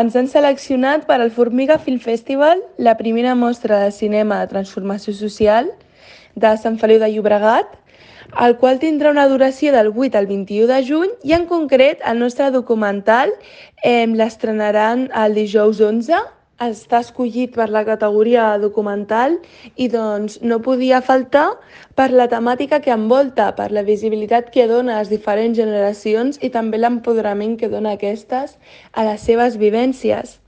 Ens han seleccionat per al Formiga Film Festival, la primera mostra de cinema de transformació social de Sant Feliu de Llobregat, el qual tindrà una duració del 8 al 21 de juny i en concret el nostre documental l'estrenaran el dijous 11. Està escollit per la categoria documental i doncs no podia faltar per la temàtica que envolta, per la visibilitat que dona a les diferents generacions i també l'empoderament que dona aquestes a les seves vivències.